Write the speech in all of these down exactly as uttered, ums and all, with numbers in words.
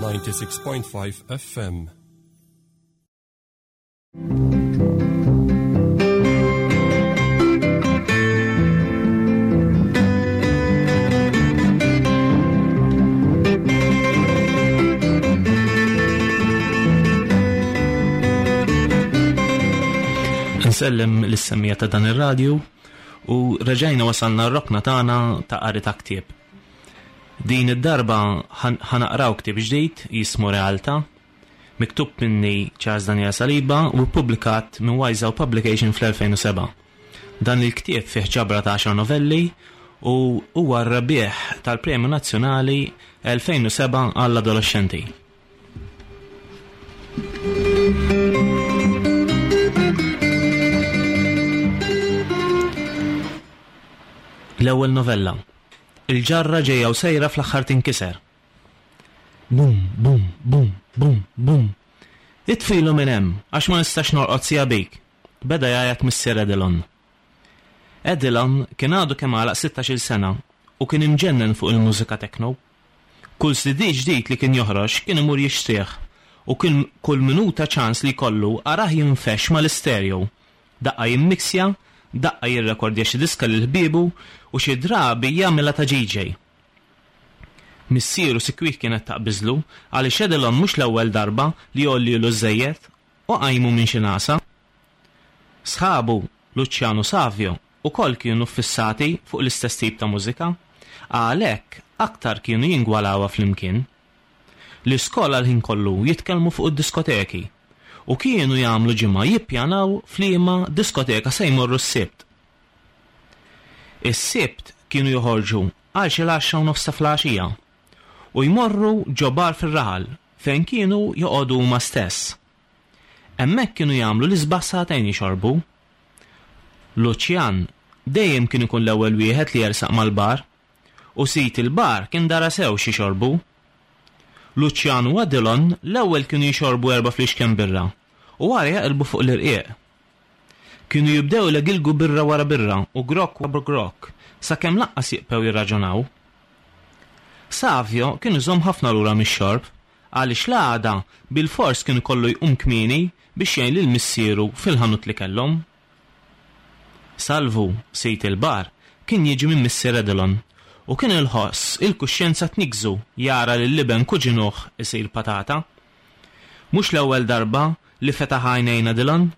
ninety-six point five F M. Nsellem lis-semmija ta' dan ir-radju u reġajna wasalna r-rokna tagħna ta' qari ta' ktieb. Din id-darba ħanaqraw ktieb ġdid jismu Realtà, miktub minni Charles Daniel Saliba u ppubblikat minn Wise Owl Publication fl-elfejn u seba'. Dan il-ktieb fih ġabra ta' għaxar novelli u huwa r-rebbieħ tal-Premju Nazzjonali elfejn u seba' għall-adolescenti. L-ewwel novella. Il-ġarra ġejja u sejra fl-aħħar tinkiser. Bum, bum, bum, bum, bum. Itfilu minn hemm għax ma nistax norqod sija bik. Beda jgħajjat missier Edilon. Edilon kien għadu kemm għalaq sittax-il sena u kien imġennen fuq il-mużika techno. Kull C D ġdid li kien joħroġ kien imur jixtrih u kien kull minuta ċans li jkollu arah jinfex mal-istereo. Daqqa jimmiksja, daqqa jirrekordja xi diska lil ħbiebu u xi drabi jagħmilha ta' D J. Missieru sikwit kienet taqbiżlu għaliex Edilon mhux l-ewwel darba li jgħollilu żejjed u qajmu minn xi nasa. Sħabu Luciano Savio ukoll kienu ffissati fuq l-istess tip ta' mużika, għalhekk aktar kienu jingwalawha flimkien. L-iskola l-ħin kollu jitkellmu fuq id-diskoteki u kienu jagħmlu ġimgħa jippjanaw f'liema diskoteka se jmorru s-Sibt. Is-Sibt kienu joħorġu għal xi l-għaxra u nofs ta' filgħaxija u jmorru ġo bar fir-raħal fejn kienu joqogħdu huma stess. Hemmhekk kienu jagħmlu l-isbaħ sagħtejn jixorbu. Lucian dejjem kien ikun l-ewwel wieħed li jersaq mal-bar u sid il-bar kien dara sew xi xorbu. Lucian u Adilon l-ewwel kienu jixorbu erba' fliexken birra u wara jaqilbu fuq l-irqieq. Kienu jibdew ilegilgu birra wara birra u grokk wara grokk sakemm lanqas jibqgħu jirraġunaw. Savio kien iżomm ħafna lura mix-xorb għaliex l-għada bil-fors kien ikollu jqum kmieni biex jgħin lil missieru fil-ħanut li kellhom. Salvu, sid il-bar, kien jiġi minn missier Edilon u kien il-ħoss il-kuxjenza tnikżu jara lil liben kuġinuh isir patata. Mhux l-ewwel darba li fetaħ għajnejn Edilon.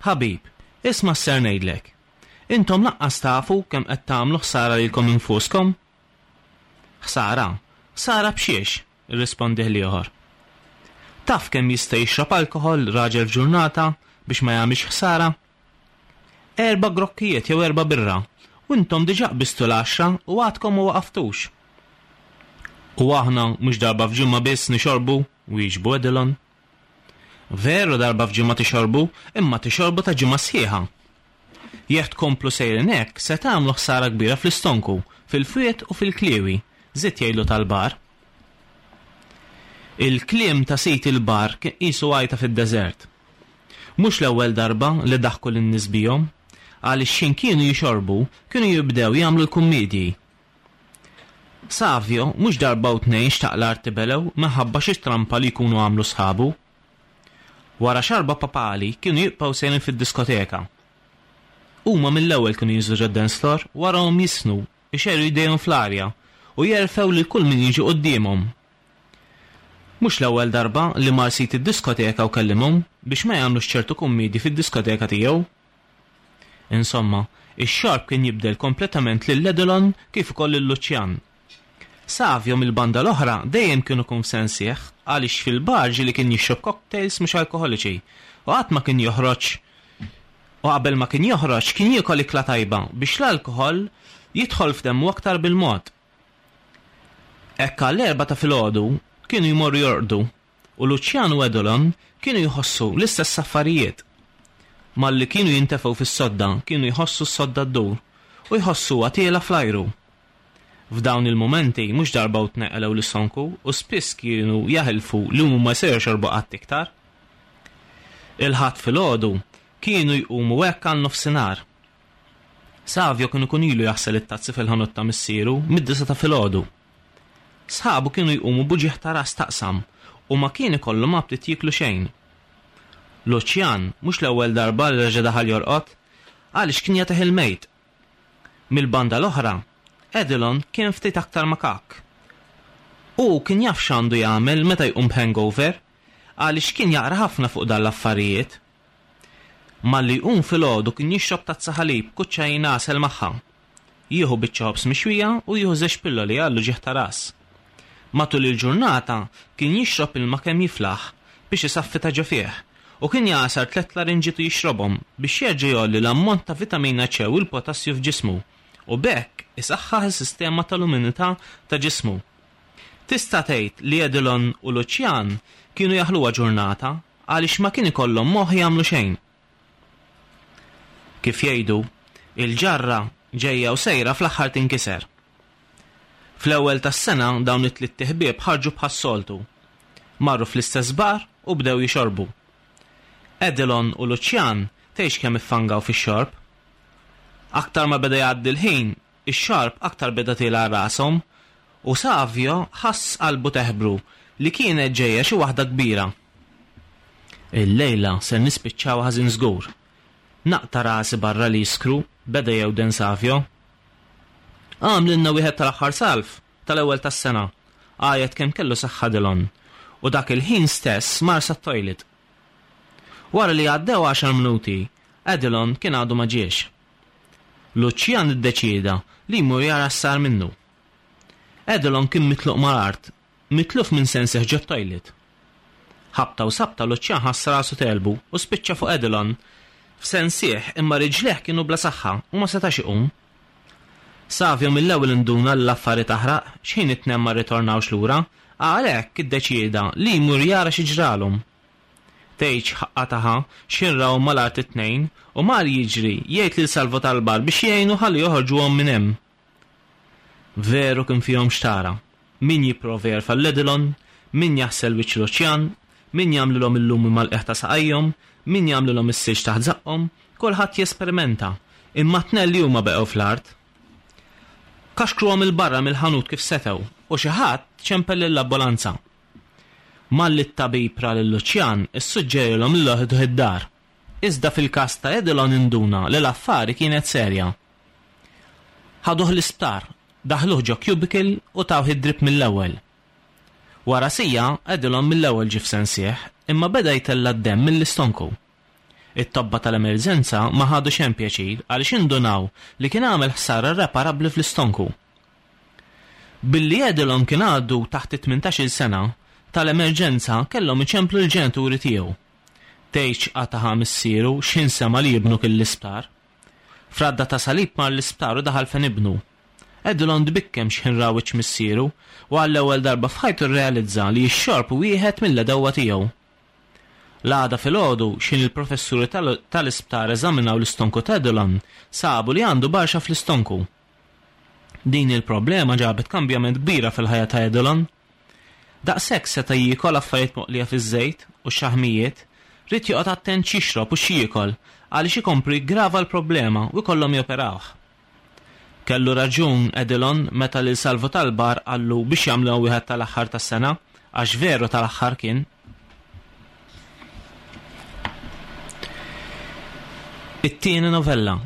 Ħabib, isma' s-ser ngħidlek. Intom lanqas tafu kemm qed tagħmlu ħsara lilkom infuskom? Ħsara? Ħsara b'xiex? Irrispondih l-ieħor. Taf kemm jista' jixrob alkohol raġel f'ġurnata biex ma jagħmilx ħsara? Erba' grokkijiet jew erba' birra, u intom diġà qbistu l-għaxra u għadkom ma waqaftux. U aħna mhux darba f'ġimgħa biss nixorbu, wieġbu Edilon. Veru darba f'ġimgħa tixorbu, imma tixorbu ta' ġimgħa sħiħa. Jekk tkomplu sejrin hekk, se tagħmlu ħsara kbira fl-istonku, fil-fwiet u fil-kliewi, żied jgħidlu tal-bar. Il-kliem ta' sid il-bar kien qisu għajta fid-deżert. Mhux l-ewwel darba li daħku lin-nies bihom, għaliex x'in kienu jixorbu kienu jibdew jagħmlu l-kummedji. Savio mhux darba u tnejn xtaq l-art tibelew minħabba xi trampa li jkunu għamlu sħabu. Wara xarba papali kienu jibqgħu sejrin fid-diskoteka. Huma mill-ewwel kienu jinżlu ġod-dance floor, warahom jisnu, ixegħlu jdejhom fl-arja u jerfgħu lil kull min jiġi quddiemhom. Mhux l-ewwel darba li mar sid id-diskoteka u kellimhom biex ma jagħmlux ċertu kummedji fid-diskoteka tiegħu. Insomma, ix-xorb kien jibdel kompletament lil Edilon kif ukoll lil Lucian. Savio mill-banda l-oħra dejjem kienu kun f'sensih għaliex fil-bar ġieli kien jixrob cocktails mhux alkoholiċi u qatt ma kien joħroġ u qabel ma kien joħroġ kien jiekol ikla tajba biex l-alkohol jidħol f'demmu aktar bil-mod. Hekk għall-erba' ta' filgħodu kienu jmorru jorqdu u Lucian u Edilon kienu jħossu l-istess affarijiet. Malli kienu jintefgħu fis-sodda kienu jħossu s-sodda ddur u jħossuha tiela fl-ajru. F'dawn il-mumenti mhux darba u tneqlew l-istonku u spiss kienu jaħilfu li huma ma se jxorbu qatt iktar. Il-Ħadd filgħodu kienu jqumu hekk għal nofsinhar. Savio kien ikun ilu jaħsel it-tazzi fil-ħanut ta' missieru mid-disa ta' filgħodu. Sħabu kienu jqumu b'uġigħ ta' ras taqsam u ma kien ikollhom aptit jieklu xejn. Luċjan mhux l-ewwel darba li reġa' daħal jorqod għaliex kien jagħtih il-mejt. Mill-banda l-oħra, Edilon kien ftit aktar makak. Hu kien jaf x'għandu jagħmel meta jqum b'hangover għaliex kien jaqra ħafna fuq dan l-affarijiet. Malli jqum filgħodu kien jixrob tazza ħalib kuċċajn għasel magħha. Jieħu biċċa ħobż mixwija u jieħu żewġ pilloli għall-uġigħ ta' ras. Matul il-ġurnata kien jixrob ilma kemm jiflaħ biex isaffi ta' ġo fih u kien jagħsar tliet larinġiet u jixrobhom biex jerġa' jgħolli l-ammont ta' vitamina C u l-potassju f'ġismu u b'hekk isaħħaħ is-sistema tal-immunità ta' ġismu. Tista' tgħid li Edilon u Luċjan kienu jaħluha ġurnata għaliex ma kien ikollhom moħħ jagħmlu xejn. Kif jgħidu, il-ġarra ġejja u sejra fl-aħħar tinkiser. Fl-ewwel tas-sena dawn it-tliet ħbieb ħarġu bħas-soltu. Marru fl-istess bar u bdew jixorbu. Edilon u Luċjan tgħidx kemm iffangaw fix-xorb. Aktar ma beda jgħaddi l-ħin, ix-xorb aktar beda tiela' rashom u Savio ħass qalbu teħbru li kienet ġejja xi waħda kbira. Illejla ser nispiċċaw ħażin żgur. Naqta' rasi barra li jiskru, beda jewden Savio. Għamlilna wieħed tal-aħħar salv tal-ewwel tas-sena, għajat kemm kellu saħħa Edilon, u dak il-ħin stess mar sat-toilet. Wara li għaddew għaxar minuti, Edilon kien għadu ma ġiex. Luċjan iddeċieda li jmur jara x'sar minnu. Edilon kien mitluq mal-art, mitluf minn sensih ġo toilet. Ħabta u sabta Luċjan ħass rasu telbu u spiċċa fuq Edilon f'sensih, imma riġleh kienu bla saħħa u ma setax iqum. Savio mill-ewwel induna l-affari taħraq x'ħin it-tnejn ma rritornawx lura, għalhekk iddeċieda li jmur jara xi ġralhom. Tgħidx ħaqqa taħa x'ħin raw mal-art it-tnejn u mar jiġri jgħid lil Salvo tal-bar biex jgħinu ħalli joħorġuhom minn hemm. Veru kien fihom xtara. Min jipprova jerfa' l-Edilon, min jaħsel wiċċ Luċjan, min jagħmlilhom il-lumi mal-qiegħ ta' saqajhom, min jagħmlilhom is-silġ taħt żaqqhom, kulħadd jesperimenta, imma t-tnejn li huma beqgħu fl-art. Kaxkruhom il-barra mill-ħanut kif setgħu u xi ħadd ċempel lill-ambulanza. Malli t-tabib ra lil Luċjan issuġġerilhom li joħduh id-dar. Iżda fil-każ ta' Edilon induna li l-affari kienet serja. Ħaduh l-isptar, daħluh ġo cubicle u tawh id-drip mill-ewwel. Wara siegħa Edilon mill-ewwel ġie f'sensih, imma beda jtella' d-demm mill-istonku. It-tobba tal-emerġenza ma ħadu xejn pjaċir għaliex indunaw li kien għamel ħsara irreparabbli fl-istonku. Billi Edilon kien għadu taħt it-tmintax-il sena, tal-emerġenza kellhom iċemplu l-ġenituri tiegħu. Tgħidx qataħa missieru x'ħin sema' li ibnu kien l-isptar. Fradda ta' salib mar l-isptar u daħal fejn ibnu. Edilon tbikkem x'ħin ra wiċċ missieru u għall-ewwel darba f'ħajtu rrealizza li x-xorb wieħed mill-għedewwa tiegħu. L-għada filgħodu x'ħin il-professuri tal-isptar eżaminaw l-istonku ta' Edilon sabu li għandu barxa fl-istonku. Din il-problema ġabet kambjament kbira fil-ħajja ta' Edilon. Daqshekk seta' jiekol affarijiet moqlija fiż-żejt u xaħmijiet, ried joqgħod attent x'jixrob u x'jiekol għaliex ikompli jgrava l-problema u jkollhom joperawh. Kellu raġun Edilon meta lil Salvo tal-bar qallu biex jagħmlu wieħed tal-aħħar tas-sena, għax veru tal-aħħar kien. It-tieni novella.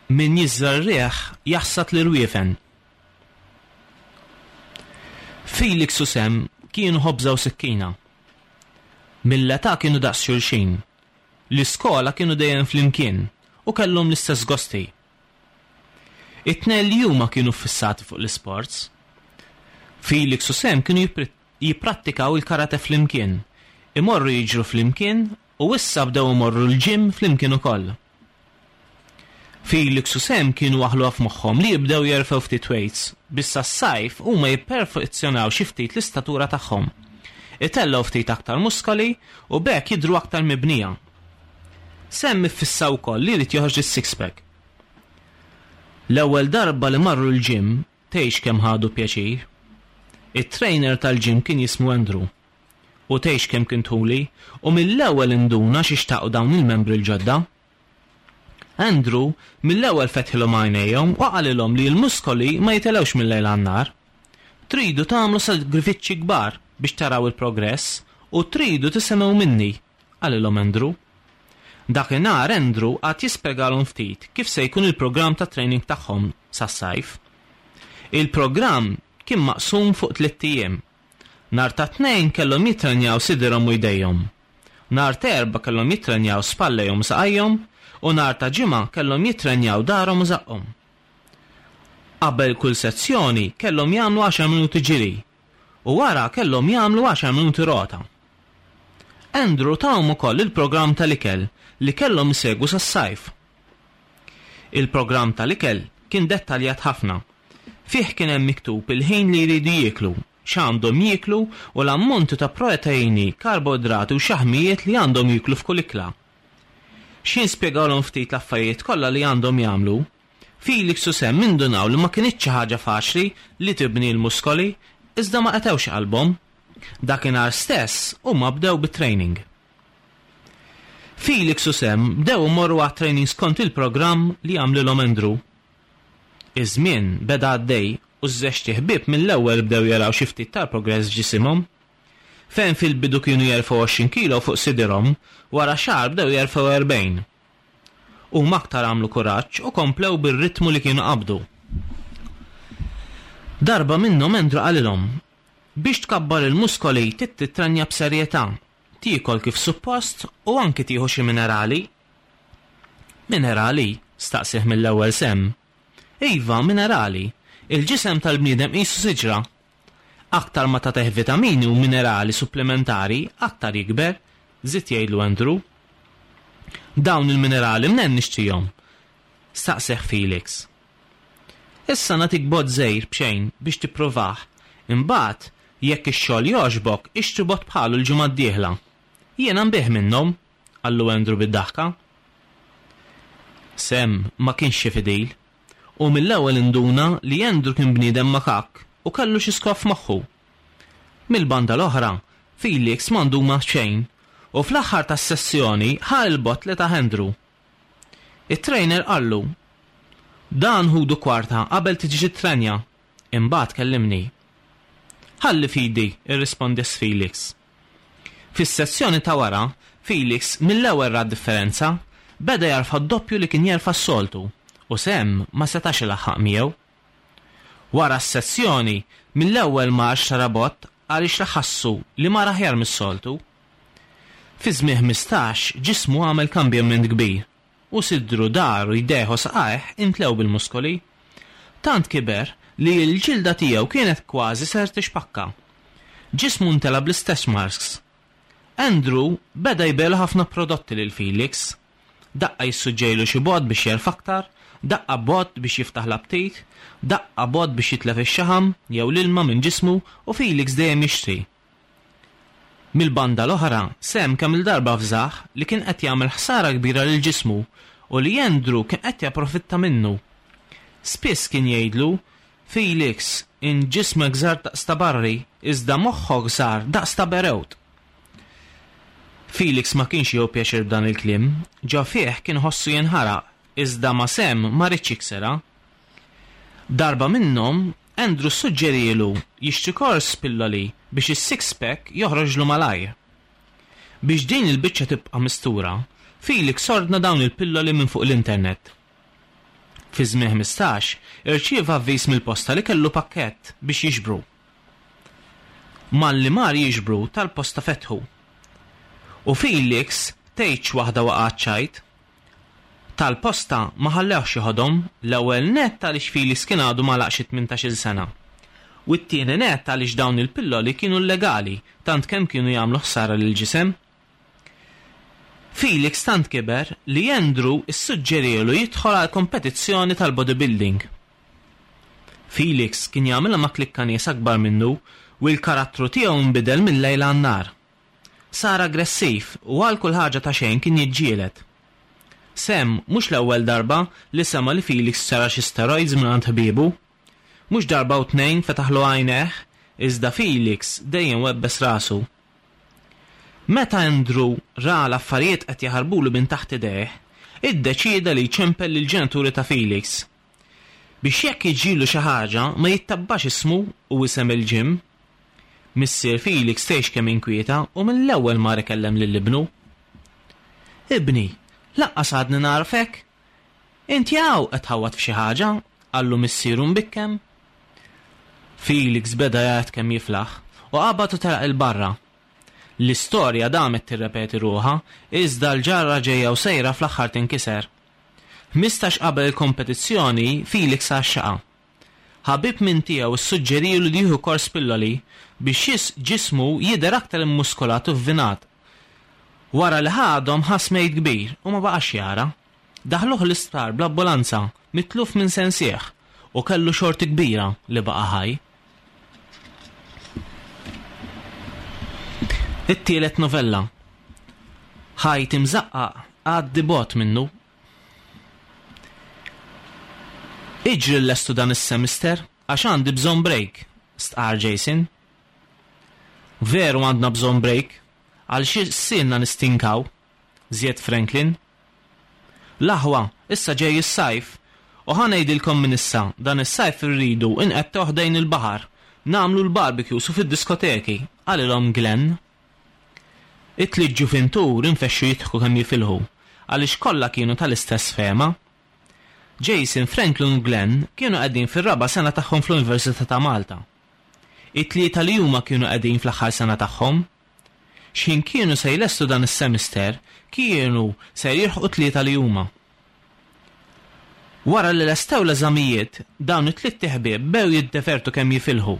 Min jiżra r-riħ jaħsad l-irwiefen. Felix u Sam kienu ħobża u sikkina. Mill-età kienu daqs xulxin. L-iskola kienu dejjem flimkien u kellhom l-istess gosti. It-tnejn li huma kienu ffissati fuq l-isports. Felix u Sam kienu jipprattikaw il-karate flimkien, imorru jiġru flimkien u issa bdew imorru l-ġim flimkien ukoll. Felix u Sam kienu waħluha f'moħħhom li jibdew jerfgħu ftit weights biex sas-sajf huma jipperfezzjonaw xi ftit l-istatura tagħhom. Itellgħu ftit aktar muskoli u b'hekk jidhru aktar mibnija. Sam iffissa wkoll li jrid joħroġ is-six-pack. L-ewwel darba li marru l-ġim tgħix kemm ħadu pjaċir. It-trainer tal-ġim kien jismu Andrew. U tgħix kemm kien tuli u mill-ewwel induna xi xtaqu dawn il-membri l-ġodda. Andrew mill-ewwel fetħilhom għajnejhom u qalilhom li l-muskoli ma jitilgħux mill-lejl għan-nar. Tridu tagħmlu sagrifiċċji kbar biex taraw il-progress u tridu tisimgħu minni, qalilhom Andrew. Dakinhar Andrew qagħad jispjegalhom ftit kif se jkun il-programm ta' training tagħhom sas-sajf. Il-programm kien maqsum fuq tliet ijiem. Nhar ta' Tnejn kellhom jitrenjaw sidirhom u jdejhom. Nhar ta' Erbgħa kellhom jitrenjaw spallejhom u saqajhom u nhar ta' Ġimgħa kellhom jitrenjaw daharhom u żaqqhom. Qabel kull sezzjoni kellhom jagħmlu għaxar minuti ġiri u wara kellhom jagħmlu għaxar minuti rota. Andrew tahom ukoll il-programm tal-ikel li kellhom isegwu sas-sajf. Il-programm tal-ikel kien dettaljat ħafna. Fih kien hemm miktub il-ħin li jridu jieklu, x'għandhom jieklu u l-ammonti ta' proteini, karboidrati u xaħmijiet li għandhom jieklu f'kull ikla. X'ħin spjegalhom ftit l-affarijiet kollha li għandhom jagħmlu, Felix u Sam indunaw li ma kinitx xi ħaġa faċli li tibni l-muskoli, iżda ma qatgħux qalbhom. Dakinhar stess huma bdew bit-training. Felix u Sam bdew imorru għat-training skont il-programm li għamlilhom Andrew. Iż-żmien beda għaddej u ż-żewġt iħbieb mill-ewwel bdew jaraw xi ftit tal-progress f'ġisimhom. Fejn fil-bidu kienu jerfgħu għoxrin kilo fuq sidirhom, wara xahar bdew jerfgħu erbgħin. Huma aktar għamlu kuraġġ u komplew bir-ritmu li kienu qabdu. Darba minnhom Andrew qalilhom, biex tkabbar il-muskoli trid titrenja b'serjetà, tiekol kif suppost u anki tieħu xi minerali. Minerali? Staqsih mill-ewwel Sam. Iva, minerali. Il-ġisem tal-bniedem qisu siġra. Aktar ma tagħtih vitamini u minerali supplementari, aktar jikber, żied jgħidlu Andrew. Dawn il-minerali mnen nixtrihom? Staqsih Felix. Issa nagħtik bott żgħir b'xejn biex tippruvah. Imbagħad, jekk ix-xogħol jogħġbok, ixtri bott bħalu l-ġimgħa d-dieħla. Jiena nbigħ minnhom, qallu Andrew bid-daħka. Sam ma kienx xi fidil, u mill-ewwel induna li Andrew kien bniedem makak u kellu xi skop f'moħħu. Mill-banda l-oħra, Felix m'għandu xejn u fl-aħħar tas-sessjoni ħa l-bott li ta Andrew. It-trainer qallu, dan ħudu kwarta qabel tiġi titrenja, imbagħad kellimni. Ħalli fidi, irrispondi Felix. Fis-sessjoni ta' wara, Felix mill-ewwel ra differenza, beda jarfa' d-doppju li kien jerfa' s-soltu u Sam ma setax ilaħħaq miegħu. Wara s-sessjoni, mill-ewwel mar xtara bott għaliex ħassu li mar aħjar mis-soltu. Fi żmien ħmistax ġismu għamel kambjament kbir u sidru, dahru, jdejh u saqajh imtlew bil-muskoli. Tant kiber li l-ġilda tiegħu kienet kważi ser tixpakka. Ġismu ntela bl-istess marks. Andrew beda jbigħlu ħafna prodotti lil Felix. Daqqa jissuġġejlu xi bott biex jerfa' aktar, daqqa bott biex jiftaħ l-aptit, daqqa bott biex jitlef ix-xaħam jew l-ilma minn ġismu u Felix dejjem jixtri. Mill-banda l-oħra, Sam kemm il-darba fżaħ li kien qed jagħmel ħsara kbira lil ġismu u li Andrew kien qed japprofitta minnu. Spiss kien jgħidlu, Felix, in ġismek żar daqs ta' barri, iżda moħħok żar daqs ta' berewt. Felix ma kienx jieħu pjaċir b'dan il-kliem, ġo fih kien ħossu jinħaraq, iżda ma' Sam ma riedx jiksirha. Darba minnhom, Andrew suġġerielu jixtri kors pilloli biex is-six-pack joħroġlu malajr. Biex din il-biċċa tibqa' mistura, Felix ordna dawn il-pilloli minn fuq l-internet. Fi żmien ħmistax, irċieva avviż mill-posta li kellu pakkett biex jiġbru. Malli mar jiġbru tal-posta fetħu. U Felix tgħidx waħda waqgħet ċajt. Tal-posta ma ħallewx joħodhom, l-ewwel nett għaliex Felix kien għadu ma laqx tmintax-il sena. U t-tieni nett għaliex dawn il-pilloli kienu illegali, tant kemm kienu jagħmlu ħsara lil ġisem. Felix tant kiber li Andrew issuġġerielu jidħol għal kompetizzjoni tal-bodybuilding. Felix kien jagħmilha ma' klikka nies akbar minnu u l-karattru tiegħu nbidel mill-lejl għan-nhar. Sar aggressiv u għal kull ħaġa ta' xejn kien jiġġieled. Sam mhux l-ewwel darba li sema li Felix xtara xi steroids minn ħbiebu. Mhux darba u tnejn fetaħlu għajnejh, iżda Felix dejjem webbes rasu. Meta Andrew ra l-affarijiet qed jaħarbulu minn taħt idejh, iddeċieda li jċempel lill-ġenituri ta' Felix. Biex jekk jiġrilu xi ħaġa ma jittabbax ismu u isem il-gym. Missier Felix tgħix kemm inkwieta u mill-ewwel mar ikellem lil ibnu. Ibni, lanqas għadni nagħrfek. Inti hawn qed tħawwad f'xi ħaġa, qallu missieru mbikkem. Felix beda jgħid kemm jiflaħ u qabad u telaq 'il barra. L-istorja damet tirrepeti ruħha, iżda l-ġarra ġejja u sejra fl-aħħar tinkiser. Ħmistax qabel il-kompetizzjoni, Felix għaxxaqa. Ħabib minn tiegħu issuġġerilu li jieħu kors pilloli biex ġismu jidher aktar immuskolat u vvinat. Wara li ħadhom ħass mejt kbir u ma baqax jara. Daħluh l-isptar bl-ambulanza, mitluf minn sensih, u kellu xorti kbira li baqa' ħaj. It-tielet novella. Ħajt imżaqqaq għaddi bot minnu. Iġri l-lestu dan is-semester għax għandi bżonn break, stqar Jason. Veru għandna bżonn break, għal xi sinna nistinkaw, żied Franklin. L-aħwa, issa ġej is-sajf, u ħa ngħidilkom minn issa, dan is-sajf irridu inqettgħu ħdejn il-baħar, nagħmlu l-barbecues u fid-diskoteki, qalilhom Glenn. It-tliet ġuvintur infexxu jidħku kemm jifilħu, għaliex kollha kienu tal-istess fehma. Jason, Franklin u Glenn kienu qegħdin fir-raba' sena tagħhom fl-Università ta' Malta. It-tlieta li huma kienu qegħdin fl-aħħar sena tagħhom. X'ħin kienu se jlestu dan is-semester, kienu se jilħqu tlieta li huma. Wara li lestew l-eżamijiet, dawn it-tliet ħbieb bew jiddevertu kemm jifilħu.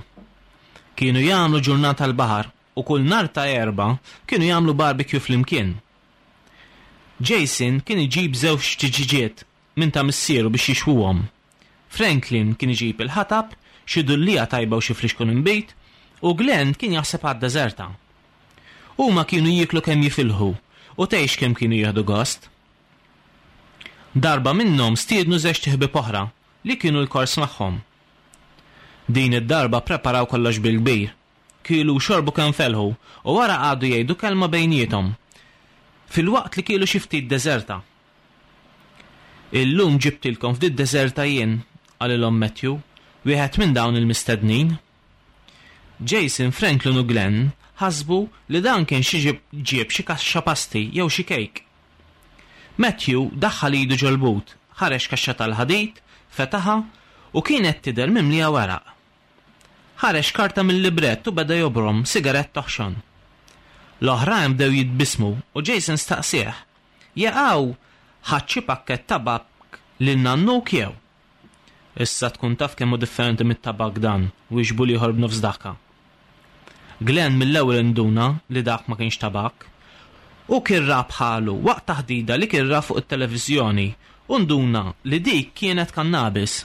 Kienu jagħmlu ġurnata l-baħar u kull nhar ta' Erbgħa kienu jagħmlu barbecue flimkien. Jason kien iġib żewġ tiġiġiet minn ta' missieru biex jixwuhom. Franklin kien iġib il-ħatab, xi dullija tajba u xi flixkun inbid, u Glenn kien jaħseb għad-deżerta. Huma kienu jieklu kemm jifilħu u tgħix kemm kienu jieħdu gost. Darba minnhom stiednu żewġ ħbieb oħra li kienu l-kors magħhom. Din id-darba preparaw kollox bil-kbir. Kielu u xorbu kemm felħu u wara qagħdu jgħidu kelma bejniethom. Filwaqt li kielu xi ftit deżerta. Illum ġibtilkom ftit deżerta jien, qalilhom Matthew, wieħed minn dawn il-mistednin. Jason, Franklin u Glenn ħasbu li dan kien xi ġieb xi kaxxa pasti jew xi kejk. Matthew daħħal idu ġol-but, ħareġ kaxxa tal-ħadid, fetaħha u kienet tidher mimlija weraq. Ħareġ karta mill-librett u beda jobrom sigarett toħxon. L-oħrajn bdew jitbismu u Jason staqsih, jaqaw ħadd xi pakkett tabak lil nannuk jew? Issa tkun taf kemm hu differenti mit-tabak dan, wieġbu l-ieħor b'nofs daħka. Glenn mill-ewwel induna li dak ma kienx tabak. U kien ra bħalu waqt taħdida li kien ra fuq it-televiżjoni u nduna li dik kienet kannabis.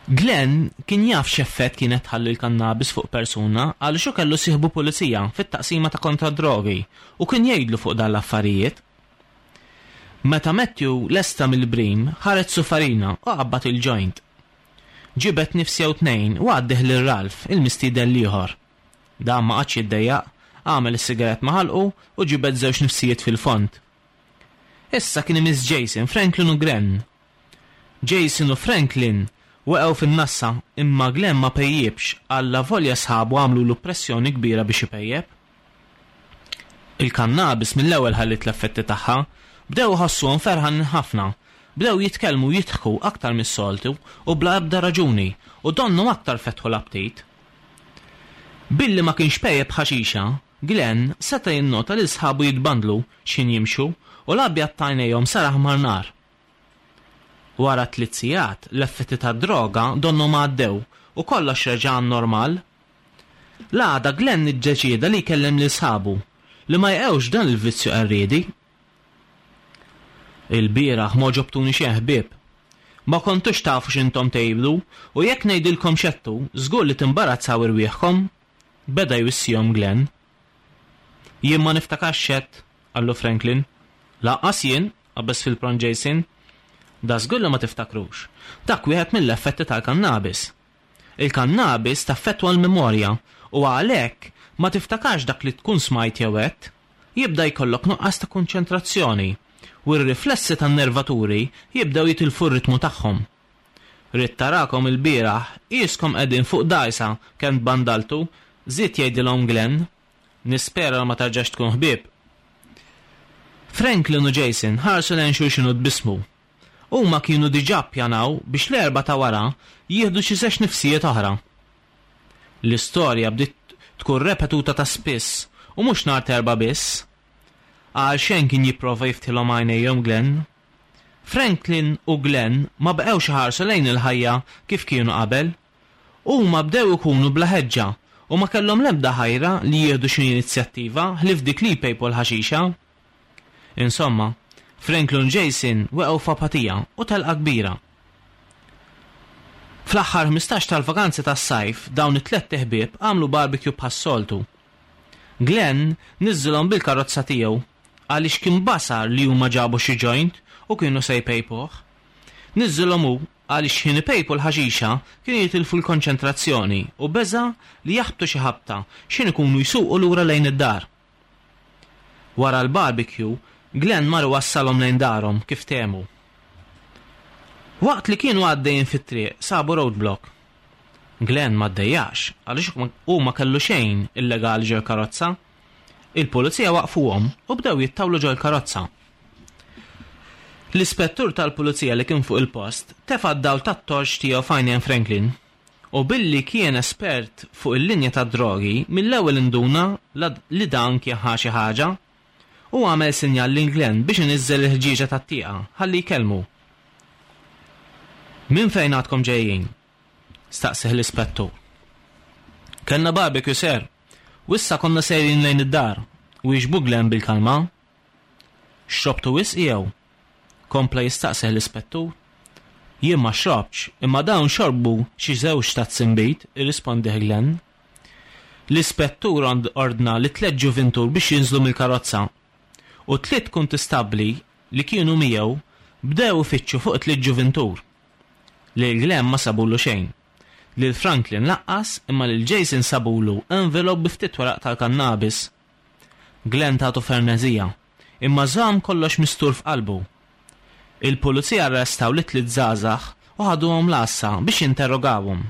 Glenn kien jaf x'effett kienet tħalli l-kannabis fuq persuna għaliex hu kellu sieħbu pulizija fit-taqsima ta' kontra drogi u kien jgħidlu fuq dan l-affarijiet. Meta Matthew lesta mill-brim, ħareġ sufarina u qabbad il-joint. Ġibet nifs jew tnejn u għaddih lil Ralph, il-mistieden l-ieħor. Dan ma qagħadx jiddejjaq, għamel is-sigarett ma' ħalqu u ġibed żewġ nifsijiet fil-fond. Issa kien imiss Jason, Franklin u Glenn. Jason u Franklin waqgħu fin-nassa imma Glenn ma pejjibx għalla volja sħabu għamlulu pressjoni kbira biex ipejjeb. Il-kannabis mill-ewwel ħallit l-effetti tagħha, bdew iħossuhom ferħanin ħafna, bdew jitkellmu jidħku aktar mis-soltu u bla ebda raġuni u donnhom aktar fetħu l-aptit. Billi ma kienx pejjeb ħaxixa, Glenn seta' jinnota li sħabu jitbandlu x'ħin jimxu u l-abjad t'għajnejhom sar aħmar nar. Wara tliet sigħat, l-effetti tad-droga donnhom għaddew u kollox reġa' għan-normal. L-għada Glenn iddeċieda li jkellem lil sħabu li ma jqewx dan il-vizzju qerriedi. Il-bieraħ ma ġobtuni xejn ħbieb. Ma kontux tafu x'intom tgħidu u jekk ngħidilkom x'għedtu, żgur li timbarazzaw irwieħkom, beda jwissihom Glenn. Jien ma niftakarx x'għedt, qallu Franklin. Lanqas jien, qabeż fil-pront Jason. Da żgur li ma tiftakrux. Dak wieħed mill-effetti tal-kannabis. Il-kannabis taffettwa l-memorja u għalhekk ma tiftakarx dak li tkun smajt jew għedt. Jibda jkollok nuqqas ta' konċentrazzjoni u r-riflessi tan-nervaturi jibdew jitilfu r-ritmu tagħhom. Ridt tarakom ilbieraħ, qiskom qegħdin fuq dgħajsa kemm tbandaltu, żied jgħidilhom Glenn. Nispera ma terġax tkun ħbieb. Franklin u Jason ħarsu lejn xulxin u tbissmu. Huma kienu diġà ppjanaw biex l-Erbgħa ta' wara jieħdu xi żewġ nifsijiet oħra. L-istorja bdiet tkun repetuta ta' spiss u mhux nhar t'Erbgħa biss. Għal xejn kien jipprova jiftħilhom għajnejhom Glenn. Franklin u Glenn ma baqgħux iħarsu lejn il-ħajja kif kienu qabel. Huma bdew ikunu bla ħeġġa u ma kellhom l-ebda ħajra li jieħdu xi inizjattiva ħlief dik li jpejpu l-ħaxixa. Insomma, Franklin u Jason weqgħu f'apatija u telqa kbira. Fl-aħħar ħmistax tal-vakanzi tas-sajf dawn it-tlett iħbieb għamlu barbecue bħas-soltu. Glenn niżżilhom bil-karozza tiegħu għaliex kien basar li huma ġabu xi joint u kienu se jpejpuh. Niżżilhom hu għaliex ħin ipejpu l-ħaxixa kienu jitilfu l-konċentrazzjoni u beża' li jaħbtu xi ħabta x'ħin ikunu jsuqu lura lejn id-dar. Wara l-barbecue, Glenn mar wassalhom lejn darhom kif ftehmu. Waqt li kienu għaddejjin fit-triq sabu roadblock. Glenn ma ddejjax għaliex hu ma kellu xejn illegali ġol karozza. Il-pulizija waqfuhom u bdew jittawlu ġol karozza. L-ispettur tal-pulizija li kien fuq il-post tefa' d-dawl tat-torċ tiegħu f'għajnejn Franklin u billi kien espert fuq il-linja tad-drogi mill-ewwel induna li dan kien ħa xi ħaġa u għamel sinjal lil Glenn biex iniżżel il-ħġieġa tat-tieqa ħalli jkellmu. Minn fejn għadkom ġejjin? Staqsih l-ispettur. Kellna barbecue sir, u issa konna sejrin lejn id-dar, wieġbu Glenn bil-kalma. Xrobtu wisq jew? Kompla jistaqsih l-ispettur. Jien ma xrobtx, imma dawn xorbu xi żewġ tazzi nbid, irrispondih Glenn. L-ispettur ordna li tliet ġuvintur biex jinżlu mill-karozza u tliet kuntistabbli li kienu miegħu bdew ifittxu fuq tliet ġuvintur. Lil Glenn ma sabulu xejn. Lil Franklin lanqas imma lil Jason sabulu envelope bi ftit weraq tal-kannabis. Glenn tatu fernezija, imma żamm kollox mistur f'qalbu. Il-pulizija arrestaw li tliet żgħażagħ u ħaduhom l-għassa biex jinterrogawhom.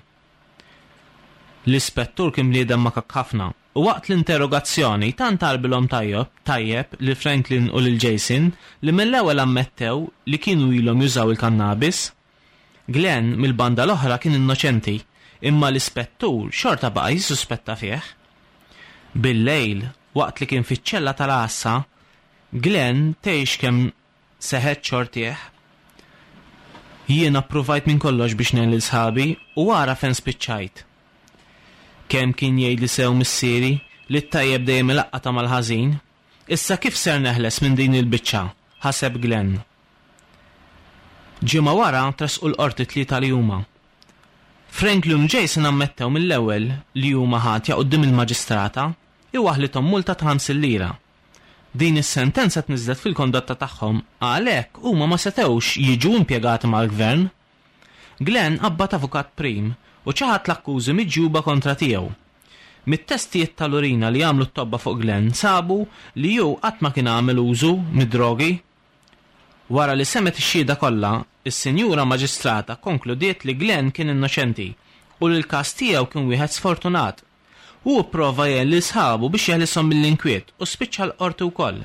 L-ispettur kien bniedem makak ħafna u waqt l-interrogazzjoni tant għarbilhom tajjeb tajjeb lil Franklin u lil Jason li mill-ewwel ammettew li kienu ilhom jużaw il-kannabis. Glenn mill-banda l-oħra kien innoċenti, imma l-ispettur xorta baqa' jissuspetta fih. Bil-lejl, waqt li kien fiċ-ċella tal-għassa, Glenn tgħix kemm seħet xortih. Jiena ppruvajt minn kollox biex ngħin lil sħabi u ara fejn spiċċajt. Kemm kien jgħidli sew missieri li t-tajjeb dejjem ilaqqata mal-ħażin, issa kif ser neħles minn din il-biċċa, ħaseb Glenn. Ġimgħa wara tressqu l-qorti tlieta li huma. Franklin u Jason ammettew mill-ewwel li huma ħatja quddiem il-maġistrata i waħlithom multa ta' ħamsin lira. Din is-sentenza tniżlet fil-kondotta tagħhom għalhekk huma ma setgħux jiġu impjegati mal-gvern. Glenn qabbad avukat prim u ċaħad l-akkużi miġjuba kontra tiegħu. Mit-testijiet tal-urina li għamlu t-tobba fuq Glenn sabu li hu qatt ma kien għamel użu mid-drogi. Wara li semgħet ix-xhieda kollha, is-Sinjura Maġistrata konkludiet li Glenn kien innoċenti u li l-każ tiegħu kien wieħed sfortunat. Hu pprova jgħin lil sħabu biex jeħlishom mill-inkwiet u spiċċa l-qorti wkoll.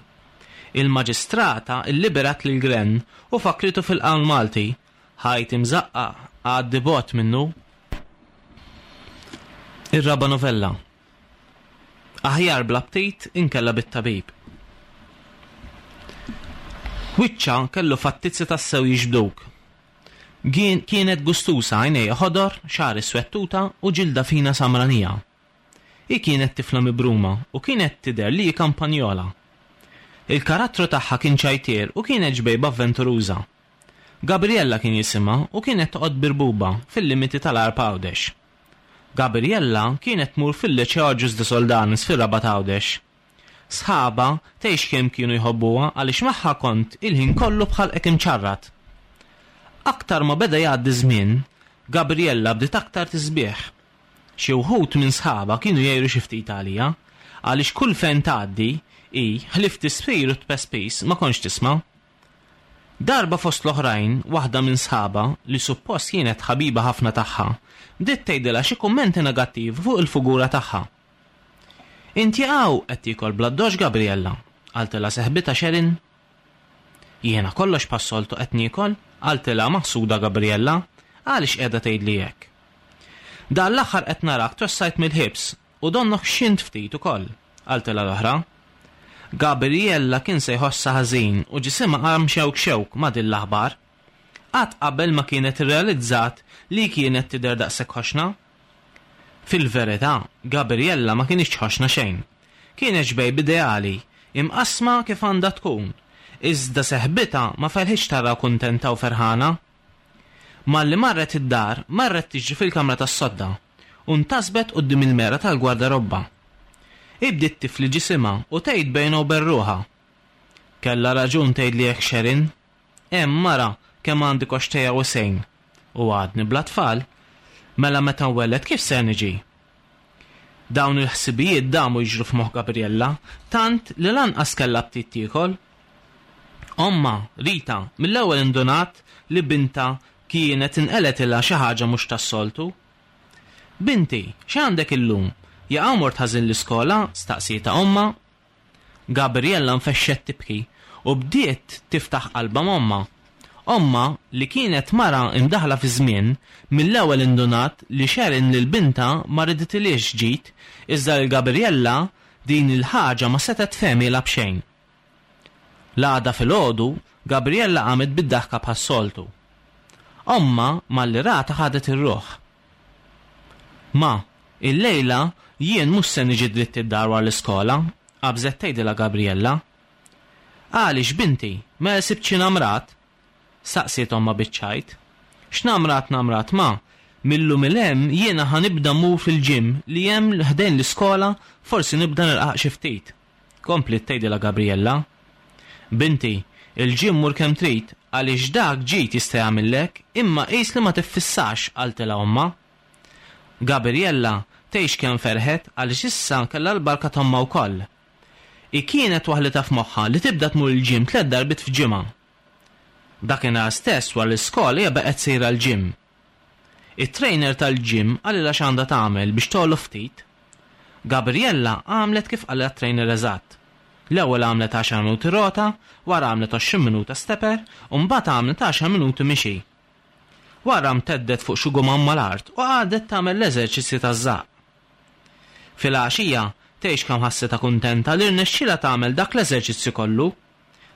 Il-Maġistrata illiberat lil Glenn u fakritu fil-qawl Malti, ħajt imżaqqaq għaddi bogħod minnu. Ir-raba' novella. Aħjar bl-aptit inkella bit-tabib. Wiċċha kellu fattizzi tassew jiġbduk. Kienet gustusa għajnejha ħodor, xagħar iswed tuta u ġilda fina samranija. Hi kienet tifla mibruma u kienet tidher li hi kampanjola. Il-karattru tagħha kien ċajtier u kienet ġbejba avventuruża. Gabriella kien jisimha u kienet toqgħod Birbuba fil-limiti tal-Għarb Għawdex. Gabriella kienet tmur fil-Liċeo Agius de Soldanis fir-Rabat Għawdex. Sħabha tgħix kemm kienu jħobbuha għaliex magħha kont il-ħin kollu bħalqek imċarrat. Aktar ma beda jgħaddi żmien, Gabriella bdiet aktar tisbieħ. Xi wħud minn sħabha kienu jgħiru xi ftit għaliha, għaliex kull fejn tgħaddi hi ħlief tisfir u tpespis ma kontx tisma'. Darba fost l-oħrajn, waħda minn sħaba li suppost kienet ħabiba ħafna tagħha, bdiet tgħidilha xi kummenti negattivi fuq il-figura tagħha. Inti hawn qed tiekol bl-addoċċ Gabriella, qaltilha seħbitha Sharon. Jiena kollox bħas-soltu qed niekol, qaltilha maħsuda Gabriella, għaliex qiegħda tgħidli hekk. Dan l-aħħar qed narak twessajt mill-hips u donnok ħxint ftit ukoll, qaltilha l-oħra. Gabriella kien se jħossha ħażin u ġisimha qam xewk xewk ma' din l-aħbar. Qatt qabel ma kienet irrealizzat li kienet tidher daqshekk ħoxna. Fil-verità, Gabriella ma kinitx ħoxna xejn. Kienet xbejb ideali, imqassma kif għandha tkun. Iżda seħbitha ma felħitx tara kuntenta u ferħana. Malli marret id-dar, marret tiġri fil-kamra tas-sodda u ntasbet quddiem il-mera tal-gwardarobba. Bdiet tifli ġisimha u tgħid bejnha u bejn ruħha. Kellha raġun tgħidli hekk Sharon. Hemm mara kemm għandi koxxtejja wesgħin u għadni bla tfal, mela meta nwelled kif se niġi? Dawn il-ħsibijiet damu jiġru f'moħħ Gabriella, tant li lanqas kellha aptit tiekol. Ommha, Rita, mill-ewwel indunat li bintha kienet inqalgħetilha xi ħaġa mhux tas-soltu. Binti, x'għandek illum? Jaqa' mort ħażin l-iskola, staqsietha ommha. Gabriella nfexxet tibki u bdiet tiftaħ qalbha m'ommha. Ommha li kienet mara imdaħla fi żmien, mill-ewwel indunat li Sharon lil bintha ma riditilhiex ġid, iżda lil Gabriella din il-ħaġa ma setgħet tfehmielha b'xejn. L-għada filgħodu, Gabriella qamet bid-daħka bħas-soltu. Ommha malli ratha ħadet ir-ruħ. Ma, illejla jien mhux se niġi dritt id-dar wara l-iskola, qabżet tgħidilha Gabriella. Għaliex binti, mela sibt xi namrat? Saqsiet ommha biċ-ċajt. X'namrat namrat ma, mil-lum 'l hemm jiena ħa nibda mmur fil-gym li hemm ħdejn l-iskola, forsi nibda nirqaq xi ftit. Kompliet tgħidilha Gabriella. Binti, il-gym mur kemm trid, għaliex dak ġid jista' jagħmillek, imma qis li ma tiffissax, qaltilha ommha. Gabriella tgħix kemm ferħet għaliex issa kellha l-barka t'ommha wkoll. Hi kienet waħlitha f'moħħha li tibda tmur il-gym tliet darbiet f'ġimgħa. Dakinhar stess wara l-iskola hija baqgħet sejra l-gym. It-trainer tal-gym qalilha x'għandha tagħmel biex togħla ftit. Gabriella għamlet kif qalilha t-trainer eżatt. L-ewwel għamlet għaxar minuti rota, wara għamlet għoxrin minuta stepper, u mbagħad għamlet għaxar minuti mixi. Wara mteddet fuq xi gumam mal-art u qagħdet tagħmel l-eżerċizzji taż-żaqq. Fil-għaxija tgħix kemm ħassitha kuntenta li rnexxielha tagħmel dak l-eżerċizzju kollu.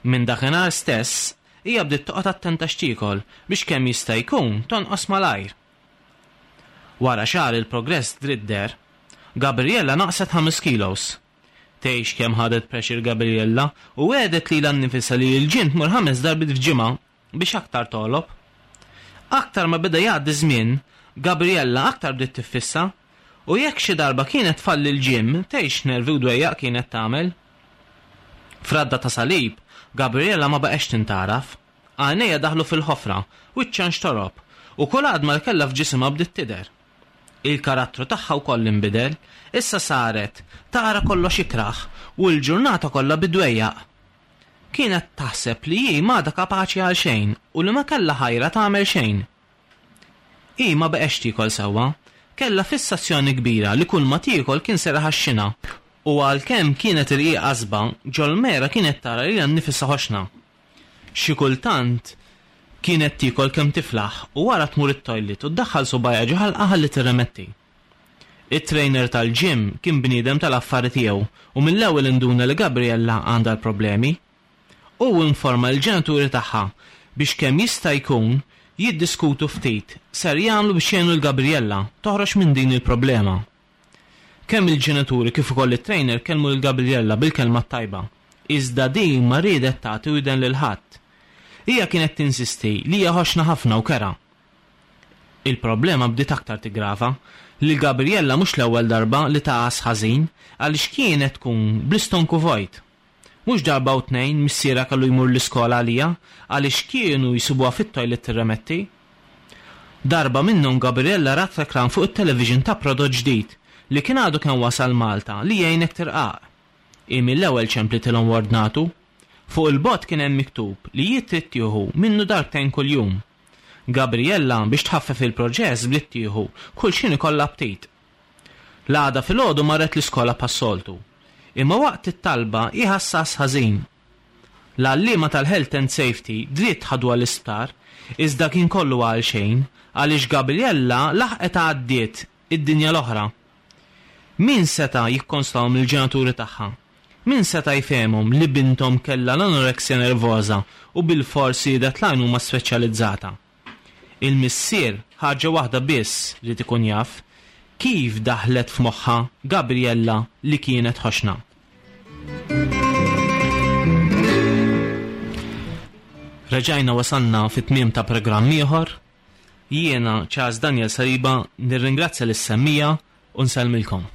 Minn dakinhar stess hija bdiet toqgħod attenta x'tiekol biex kemm jista' jkun tonqos malajr. Wara xahar il-progress dritt deher, Gabriella naqset ħames kilos. Tgħix kemm ħadet pressure Gabriella u wegħdet lilha nnifisha li l-gym tmur ħames darbiet f'ġimgħa biex aktar togħlob. Aktar ma beda jgħaddi żmien, Gabriella aktar bdiet tiffissa u jekk xi darba kienet tfalli l-gym, tgħix nervi u dwejjaq kienet tagħmel. F'radda ta' salib, Gabriella ma baqgħetx tintaraf. Għajnejha daħlu fil-ħofra, wiċċha nxtorob u kull għadma li kellha f'ġisimha bdiet tidher. Il-karattru tagħha wkoll inbidel, issa saret tara kollox ikrah u l-ġurnata kollha bidwejjaq. Kienet taħseb li hi m'għadha kapaċi għal xejn u li ma kellha ħajra tagħmel xejn. Hi ma baqgħetx tiekol sewwa, kellha fissazzjoni kbira li kull ma tiekol kien ser iħaxxinha u għalkemm kienet irqiqa qasba, ġol-mera kienet tara lilha nnifisha ħoxna. Xi kultant kienet tiekol kemm tiflaħ u wara tmur it-toilet u ddaħħal subgħajha ġo ħalqha ħalli tirremetti. It-trainer tal-gym kien bniedem tal-affari tiegħu u mill-ewwel induna li Gabriella għandha l-problemi. U informa l-ġenituri tagħha biex kemm jista' jkun jiddiskutu ftit ser jagħmlu biex jgħinu l-Gabriella toħroġ minn din il-problema. Kemm il-ġenituri kif ukoll it-trainer kellmu lil Gabriella bil-kelma t-tajba, iżda din ma riedet tagħti widen lil ħadd. Hija kienet tinsisti li hija ħoxna ħafna u kerha. Il-problema bdiet aktar tigrava li Gabriella mhux l-ewwel darba li tagħas ħażin għaliex kienet tkun bl-istonku vojt. Mhux darba u tnejn missierha kellu jmur l-iskola għalija għaliex kienu jsibuha fit-toilet tirremetti. Darba minnhom Gabriella rat reklam fuq it-television ta' prodott ġdid li kien għadu kemm wasal Malta li jgħinek tirqaq. Hi mill-ewwel ċemplitilhom u ordnatu. Fuq il-bott kien hemm miktub li hi trid tieħu minnu darbtejn kuljum. Gabriella biex tħaffef il-proċess bdiet tieħu kull x'ħin ikollha aptit. L-għada filgħodu marret l-iskola bħas-soltu. Imma waqt it-talba hi ħassha ħażin. L-għalliema tal-Health and Safety dritt ħaduha l-isptar, iżda kien kollu għal xejn għaliex Gabriella laħqet għaddiet id-dinja l-oħra. Min seta' jikkonsolahom il-ġenituri tagħha? Min seta' jfehemhom li binthom kellha l-anoreksja nervoża u bilfors riedet l-għajnuna speċjalizzata? Il-missier ħaġa waħda biss ried ikun jaf, kif daħlet f'moħħha Gabriella li kienet ħoxna. Reġajna wasalna fit-tmiem ta' programm ieħor. Jiena Charles Daniel Saliba nirringrazzja lis-semmija u nsellmilkom.